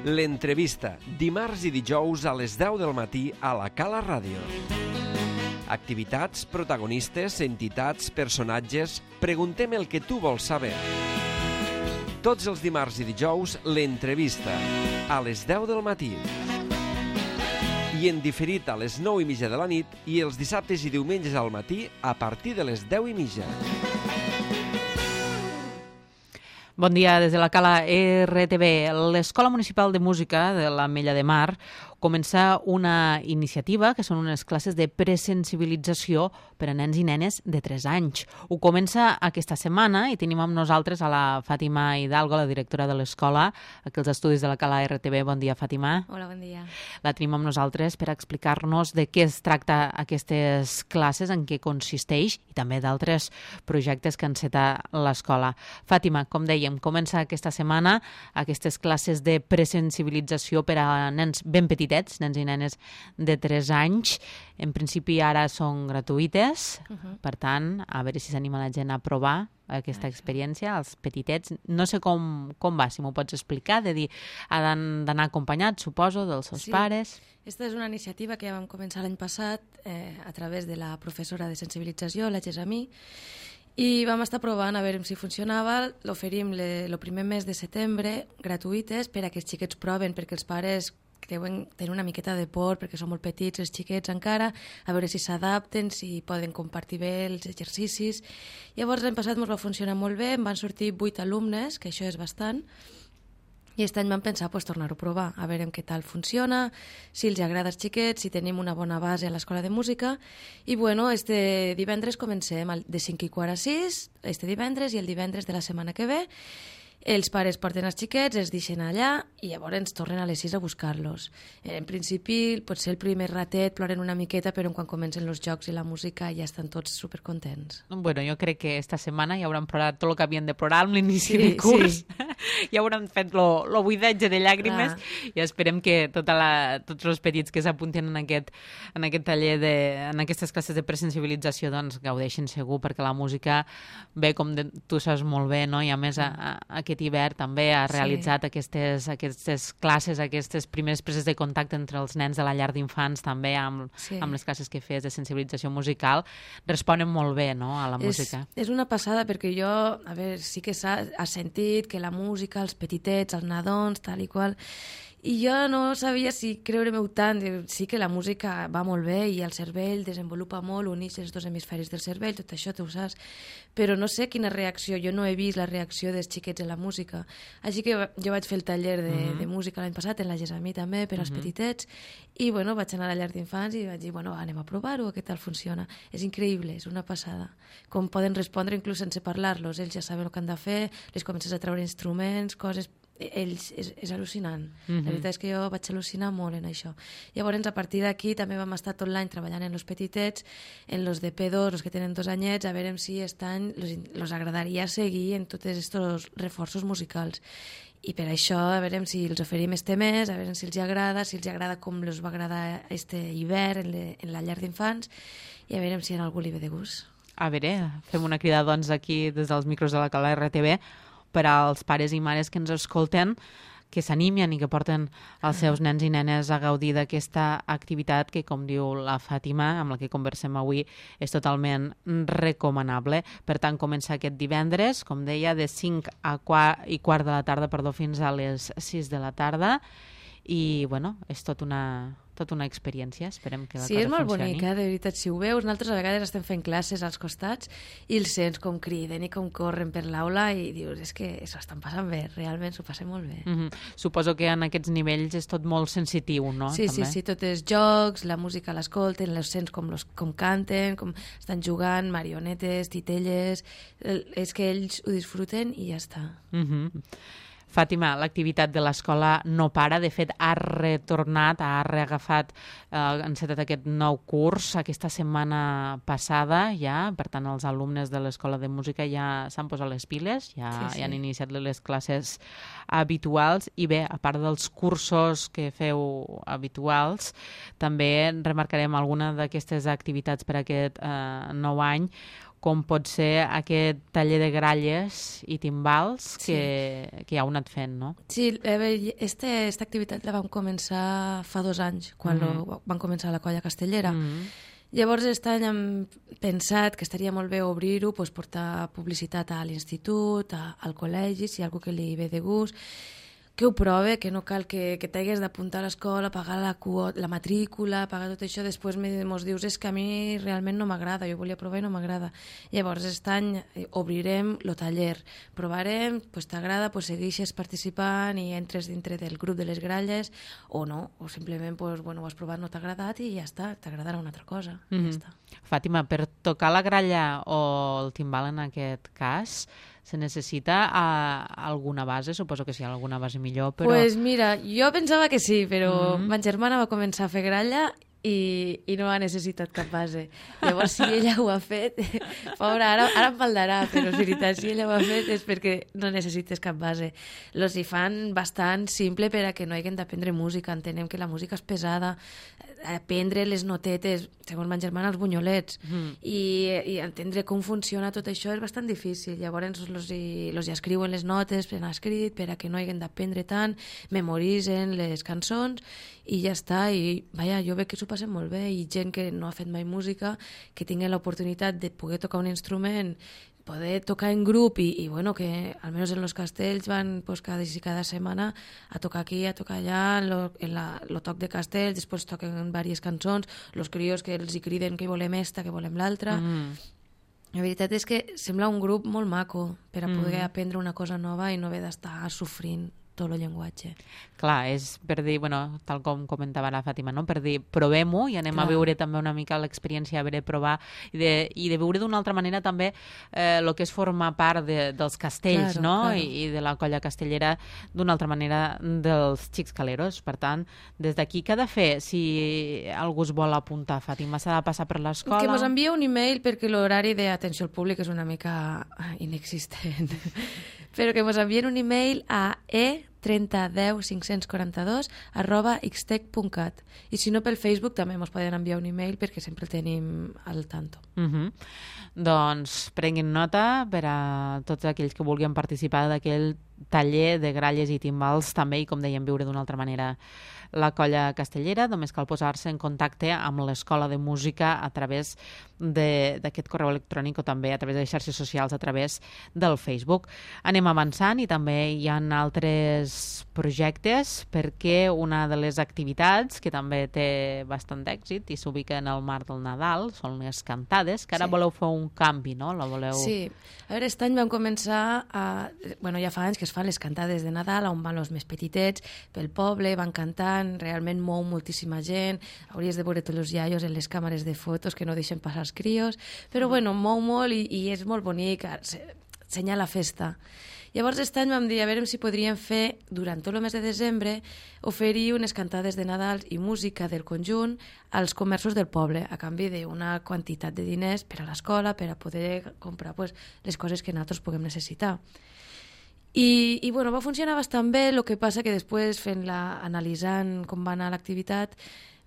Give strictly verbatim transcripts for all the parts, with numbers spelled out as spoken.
L'entrevista, dimarts i dijous a les deu del matí a la Cala Ràdio. Activitats, protagonistes, entitats, personatges... Preguntem el que tu vols saber. Tots els dimarts i dijous, l'entrevista, a les deu del matí. I en diferit a les nou i mitja de la nit i els dissabtes i diumenges al matí a partir de les deu i mitja. Bon dia des de la Cala R T B. L'Escola Municipal de Música de l'Ametlla de Mar comença una iniciativa que són unes classes de presensibilització per a nens i nenes de tres anys. Ho comença aquesta setmana i tenim amb nosaltres a la Fàtima Hidalgo, la directora de l'escola, aquí als estudis de la Cala R T B. Bon dia, Fàtima. Hola, bon dia. La tenim amb nosaltres per explicar-nos de què es tracta aquestes classes, en què consisteix i també d'altres projectes que enceta l'escola. Fàtima, com dèiem, comença aquesta setmana aquestes classes de presensibilització per a nens ben petitets, nens i nenes de tres anys. En principi ara són gratuïtes, uh-huh. Per tant, a veure si s'anima la gent a provar aquesta experiència, els petitets. No sé com, com va, si m'ho pots explicar, de dir, han d'anar acompanyats, suposo, dels seus sí. pares. Aquesta és una iniciativa que vam començar l'any passat eh, a través de la professora de sensibilització, la Gessamí, i vam estar provant a veure si funcionava. L'oferim el primer mes de setembre, gratuïtes, per a que els xiquets proven, perquè els pares creuen tenir una miqueta de por, perquè són molt petits els xiquets encara, a veure si s'adapten, si poden compartir bé els exercicis. Llavors l'any passat ens va funcionar molt bé, em van sortir vuit alumnes, que això és bastant, i aquest any vam pensar pues, tornar-ho a provar, a veure què tal funciona, si els agrada als xiquets, si tenim una bona base a l'escola de música. I bueno, este divendres comencem de cinc i quart a sis, este divendres, i el divendres de la setmana que ve. Els pares porten els xiquets, els deixen allà i llavors ens tornen a les sis a buscar-los. En principi, potser el primer ratet ploren una miqueta, però quan comencen els jocs i la música ja estan tots supercontents. Bueno, jo crec que esta setmana ja hauran plorat tot el que havien de plorar amb l'inici sí, de curs. Sí. Ja hauran fet el buidatge de llàgrimes. Clar. I esperem que tota la, tots els petits que s'apunten en aquest, en aquest taller, de, en aquestes classes de presensibilització, doncs gaudeixin segur, perquè la música, bé, com de, tu saps molt bé, no? I a més a, a, aquest hivern també ha realitzat sí. aquestes, aquestes classes, aquestes primeres preses de contacte entre els nens de la llar d'infants, també amb, sí. amb les classes que fes de sensibilització musical, responen molt bé, no?, a la és, música. És una passada, perquè jo, a veure, sí que s'ha sentit que la música, els petitets, els nadons, tal i qual, i jo no sabia si creure-m'ho tant. Sí que la música va molt bé i el cervell desenvolupa molt, uneix els dos hemisferis del cervell, tot això tu ho saps, però no sé quina reacció, jo no he vist la reacció dels xiquets a la música. Així que jo vaig fer el taller de, uh-huh. de música l'any passat, en la Gessamí també, per als uh-huh. petitets, i bueno, vaig anar a la llar d'infants i vaig dir, bueno, anem a provar-ho, què tal funciona. És increïble, és una passada. Com poden respondre inclús sense parlar-los, ells ja saben el que han de fer, les comences a treure instruments, coses... ells, és, és al·lucinant. Mm-hmm. La veritat és que jo vaig al·lucinar molt en això. Llavors, a partir d'aquí, també vam estar tot l'any treballant en els petitets, en los de P dos, els que tenen dos anyets, a veure si aquest any els agradaria seguir en tots aquests reforços musicals. I per això, a veure si els oferim este mes, a veure si els agrada, si els agrada com els va agradar este hivern en, le, en la llar d'infants, i a veure si a algú li ve de gust. A veure, fem una crida, doncs, aquí des dels micros de la Cala R T B, per als pares i mares que ens escolten, que s'animen i que porten els seus nens i nenes a gaudir d'aquesta activitat que, com diu la Fàtima, amb la que conversem avui, és totalment recomanable. Per tant, comença aquest divendres, com deia, de cinc a quart i quart de la tarda, perdó, fins a les sis de la tarda, i, bueno, és tot una... tota una experiència, esperem que la sí, cosa funcioni. Sí, és molt bonica, de veritat, si ho veus. Nosaltres a vegades estem fent classes als costats i els sents com criden i com corren per l'aula i dius, és que s'ho estan passant bé, realment s'ho passen molt bé. Mm-hmm. Suposo que en aquests nivells és tot molt sensitiu, no? Sí, també? sí, sí, tot és jocs, la música l'escolten, els sents com, los, com canten, com estan jugant, marionetes, titelles, és que ells ho disfruten i ja està. Mm-hmm. Fàtima, l'activitat de l'escola no para, de fet ha retornat, ha reagafat, eh, ha encetat aquest nou curs aquesta setmana passada ja, per tant els alumnes de l'escola de música ja s'han posat les piles, ja, sí, sí. ja han iniciat les classes habituals i bé, a part dels cursos que feu habituals, també remarcarem alguna d'aquestes activitats per aquest eh, nou any, com pot ser aquest taller de gralles i timbals que, sí. que ja heu anat fent, no? Sí, aquesta este, activitat la vam començar fa dos anys, quan mm -hmm. lo, van començar la colla castellera. Mm -hmm. Llavors, aquest any hem pensat que estaria molt bé obrir-ho, doncs, portar publicitat a l'institut, al col·legi, si hi ha algú que li ve de gust, que ho prove, que no cal que, que t'hagués d'apuntar a l'escola, pagar la, la matrícula, pagar tot això, després mos dius és que a mi realment no m'agrada, jo volia provar i no m'agrada. Llavors, aquest any obrirem el taller, provarem, pues, t'agrada, pues, segueixes participant i entres dintre del grup de les gralles, o no, o simplement pues, bueno, ho has provat, no t'ha agradat i ja està, t'agradarà una altra cosa. Mm -hmm. Ja està. Fàtima, per tocar la gralla o el timbal en aquest cas, se necessita uh, alguna base? Suposo que sí, alguna base millor, però... Pues mira, jo pensava que sí, però mm-hmm. ma germana va començar a fer gralla i, i no ha necessitat cap base. Llavors, si ella ho ha fet... Pobra, ara, ara em faldarà, però és veritat, si ella ho ha fet és perquè no necessites cap base. Los hi fan bastant simple per a que no hagin d'aprendre música. Entenem que la música és pesada, aprendre les notetes, segons ma germana, els bunyolets, mm. i, i entendre com funciona tot això és bastant difícil. Llavors los hi, los hi escriuen les notes per escrit, per a que no hagin d'aprendre tant, memoritzen les cançons i ja està. I vaja, jo veig que s'ho passen molt bé, i gent que no ha fet mai música, que tingui l'oportunitat de poder tocar un instrument, poder tocar en grup i, i bueno, que almenys en los castells van pues, cada, cada setmana a tocar aquí, a tocar allà, en lo, en la, lo toc de castells, després toquen diverses cançons, los crios que els hi criden que volem esta, que volem l'altra. Mm. La veritat és que sembla un grup molt maco per a poder mm. aprendre una cosa nova i no haver d'estar sofrint tot el llenguatge. Clar, és per dir, bueno, tal com comentava la Fàtima, no? Per dir, provem-ho i anem Clar. a veure també una mica l'experiència, a veure, provar, i de, i de veure d'una altra manera també el eh, que és formar part de, dels castells, claro, no? Claro. I, I de la colla castellera d'una altra manera dels xics caleros. Per tant, des d'aquí, què ha de fer si algú es vol apuntar, Fàtima? S'ha de passar per l'escola? Que mos envia un e-mail, perquè l'horari d'atenció al públic és una mica inexistent. Però que mos envien un e-mail a e trenta deu cinc cents quaranta-dos arroba xtec punt cat, i si no pel Facebook també mos poden enviar un e-mail perquè sempre el tenim al tanto. Uh -huh. Doncs prenguin nota per a tots aquells que vulguin participar d'aquell taller de gralles i timbals també, i com dèiem, viure d'una altra manera la colla castellera. Només cal posar-se en contacte amb l'Escola de Música a través d'aquest correu electrònic o també a través de les xarxes socials, a través del Facebook. Anem avançant i també hi ha altres projectes, perquè una de les activitats que també té bastant d'èxit i s'ubica en el marc del Nadal són les cantades, que ara sí. voleu fer un canvi, no? La voleu... Sí. A veure, aquest any vam començar a... Bueno, ja fa anys que es fan les cantades de Nadal, on van els més petitets pel poble, van cantant, realment mou moltíssima gent, hauries de veure tots els iaios en les càmeres de fotos que no deixen passar els crios, però bueno, mou molt i, i és molt bonic, senya la festa. Llavors, aquest any vam dir, a veure si podríem fer, durant tot el mes de desembre, oferir unes cantades de Nadal i música del conjunt als comerços del poble, a canvi d'una quantitat de diners per a l'escola, per a poder comprar pues, les coses que nosaltres puguem necessitar. I, i bueno, va funcionar bastant bé, el que passa que després, fent-la, analitzant com va anar l'activitat,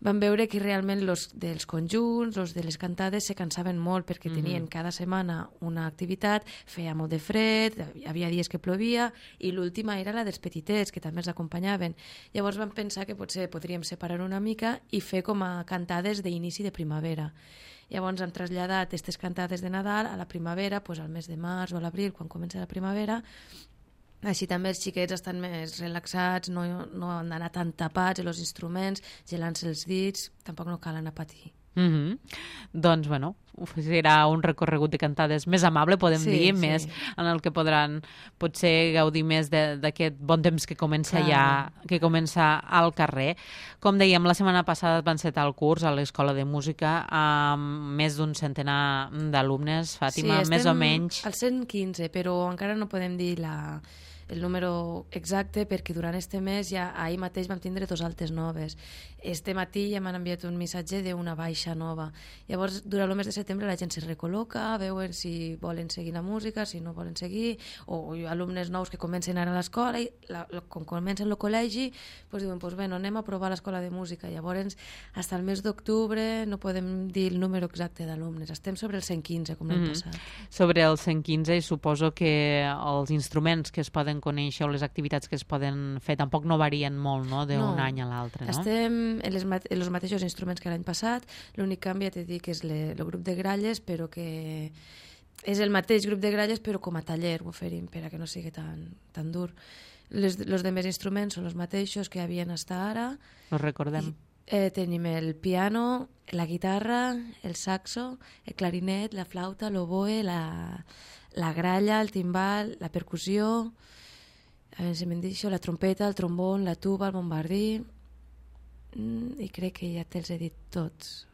vam veure que realment los dels conjunts, els de les cantades, se cansaven molt perquè tenien mm-hmm. cada setmana una activitat, feia molt de fred, hi havia dies que plovia, i l'última era la dels petitets, que també els acompanyaven. Llavors vam pensar que potser podríem separar una mica i fer com a cantades d'inici de primavera. Llavors hem traslladat aquestes cantades de Nadal a la primavera, doncs al mes de març o a l'abril, quan comença la primavera. Així també els xiquets estan més relaxats, no, no han d'anar tan tapats els instruments, gelant-se els dits, tampoc no cal anar a patir. Mm-hmm. Doncs, bueno, serà un recorregut de cantades més amable, podem sí, dir, sí. més en el que podran potser gaudir més d'aquest bon temps que comença ja, que comença al carrer. Com dèiem, la setmana passada van encetar el curs a l'Escola de Música amb més d'un centenar d'alumnes, Fàtima, sí, més o menys. Al cent quinze, però encara no podem dir la... el número exacte, perquè durant este mes ja ahir mateix vam tindre dos altes noves. Este matí ja m'han enviat un missatge d'una baixa nova. Llavors, durant el mes de setembre la gent se recol·loca, veuen si volen seguir la música, si no volen seguir, o alumnes nous que comencen ara a l'escola, i la, com comencen el col·legi, doncs diuen, pues, bueno, anem a provar l'escola de música. Llavors, fins al mes d'octubre no podem dir el número exacte d'alumnes. Estem sobre el cent quinze, com l'any Mm-hmm. passat. Sobre el cent quinze, suposo que els instruments que es poden conèixer o les activitats que es poden fer tampoc no varien molt, no?, d'un No. any a l'altre, no? Estem en, les mate en els mateixos instruments que l'any passat. L'únic canvi, ja t'he dit, que és le, el grup de gralles, però que és el mateix grup de gralles, però com a taller ho oferim, per a que no sigui tan, tan dur. Les, els demés instruments són els mateixos que havien estat ara. Us recordem. Eh, tenim el piano, la guitarra, el saxo, el clarinet, la flauta, l'oboe, la, la gralla, el timbal, la percussió, a veure si me'n deixo, la trompeta, el trombón, la tuba, el bombardí, mm, i crec que ja te'ls he dit tots.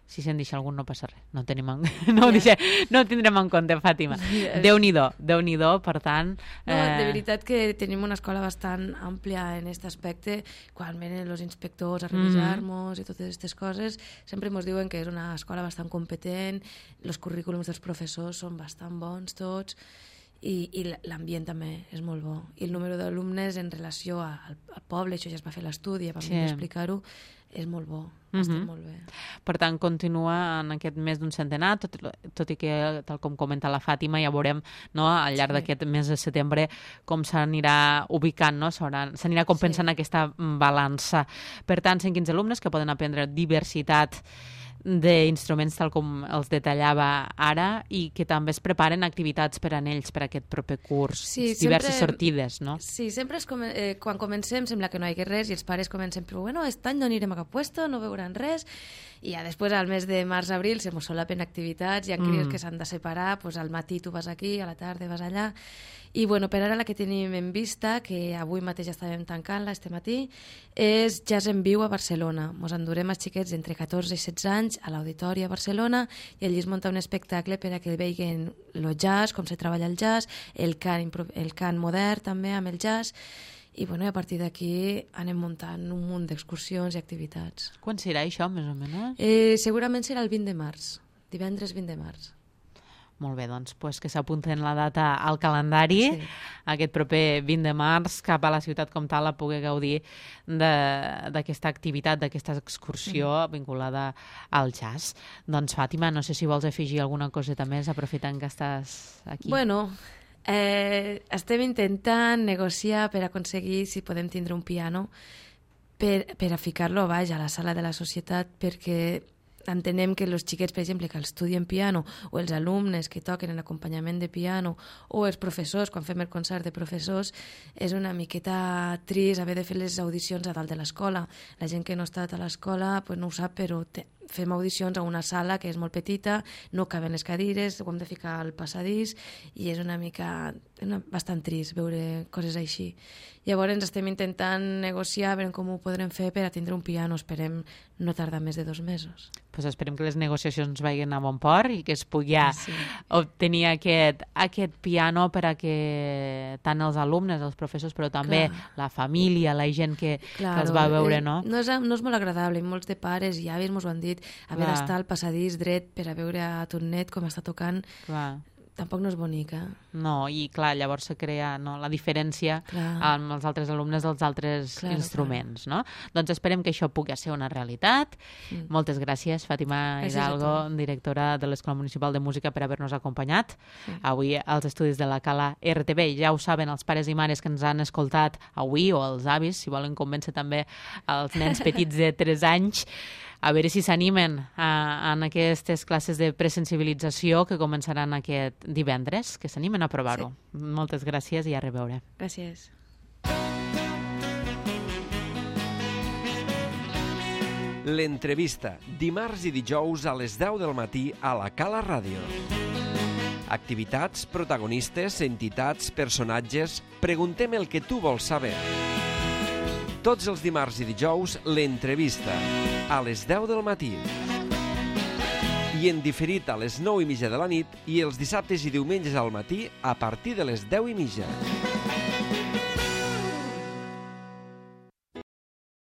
Si se'n deixa algun no passa res. No, tenim en... no, ho Ja. deixem... no ho tindrem en compte, Fàtima. Ja. Déu-n'hi-do, Déu-n'hi-do, per tant... No, de veritat que tenim una escola bastant àmplia en aquest aspecte. Quan venen els inspectors a revisar-nos i totes aquestes coses, sempre ens diuen que és una escola bastant competent, els currículums dels professors són bastant bons tots, i, i l'ambient també és molt bo. I el número d'alumnes en relació al, al poble, això ja es va fer l'estudi, ja vam Sí. explicar-ho, és molt bo, està Mhm. molt bé. Per tant, continua en aquest mes d'un centenar, tot, tot i que, tal com comenta la Fàtima, ja veurem, no, al llarg Sí. d'aquest mes de setembre com s'anirà ubicant, no? S'anirà compensant Sí. aquesta balança. Per tant, cent quinze alumnes que poden aprendre diversitat d'instruments tal com els detallava ara, i que també es preparen activitats per a ells per a aquest proper curs, Sí, diverses sempre- sortides, no? Sí, sempre és com, eh, quan comencem sembla que no hi hagi res i els pares comencen, però bueno, aquest any no anirem a cap puesto, no veuran res, i ja després al mes de març-abril se mos solapen activitats, hi ha crios Mm. que s'han de separar, pues al matí tu vas aquí, a la tarda vas allà, i bueno, per ara la que tenim en vista, que avui mateix estàvem tancant-la este matí, és Jazz en Viu a Barcelona. Mos endurem els xiquets entre catorze i setze anys a l'Auditori a Barcelona, i allí es munta un espectacle per a que veiguen el jazz, com se treballa el jazz, el cant, impro- el cant modern també amb el jazz, i bueno, a partir d'aquí anem muntant un munt d'excursions i activitats. Quan serà això, més o menys? Eh, segurament serà el vint de març, divendres vint de març. Molt bé, doncs pues que s'apunten la data al calendari, Sí. aquest proper vint de març, cap a la ciutat com tal a poder gaudir de- d'aquesta activitat, d'aquesta excursió mm. vinculada al jazz. Doncs, Fàtima, no sé si vols afegir alguna coseta més, aprofitant que estàs aquí. Bueno, eh, estem intentant negociar per aconseguir si podem tindre un piano per, per a ficar-lo a baix a la sala de la societat, perquè entenem que els xiquets, per exemple, que estudien piano, o els alumnes que toquen en acompanyament de piano, o els professors, quan fem el concert de professors, és una miqueta trist haver de fer les audicions a dalt de l'escola. La gent que no ha estat a l'escola pues no ho sap, però te, fem audicions a una sala que és molt petita, no caben les cadires, ho hem de ficar al passadís, i és una mica una, bastant trist veure coses així. Llavors estem intentant negociar, veure com ho podrem fer per a tindre un piano, esperem no tardar més de dos mesos. Pues esperem que les negociacions vagin a bon port i que es pugui ja Sí. obtenir aquest, aquest piano per a que tant els alumnes, els professors, però també Clar. la família, la gent que, Claro, que els va veure, eh, no? No és, no és molt agradable, i molts de pares i avis mos ho han dit, haver Clar. d'estar al passadís dret per a veure a ton net com està tocant, Clar. tampoc no és bonica. No, i clar, llavors se crea no, la diferència Clar. amb els altres alumnes dels altres Claro, instruments, no? Doncs esperem que això pugui ser una realitat. Mm. Moltes gràcies, Fàtima Gràcies a Hidalgo, tu. directora de l'Escola Municipal de Música, per haver-nos acompanyat Sí. avui als estudis de la Cala R T B. Ja ho saben els pares i mares que ens han escoltat avui, o els avis, si volen convèncer també els nens petits de tres anys, a veure si s'animen a, en aquestes classes de presensibilització que començaran aquest divendres, que s'animen a provar-ho. Sí. Moltes gràcies i a reveure. Gràcies. L'entrevista, dimarts i dijous a les deu del matí a la Cala Ràdio. Activitats, protagonistes, entitats, personatges... Preguntem el que tu vols saber. Tots els dimarts i dijous, l'entrevista, a les deu del matí. I en diferit a les nou i mitja de la nit, i els dissabtes i diumenges al matí a partir de les deu i mitja.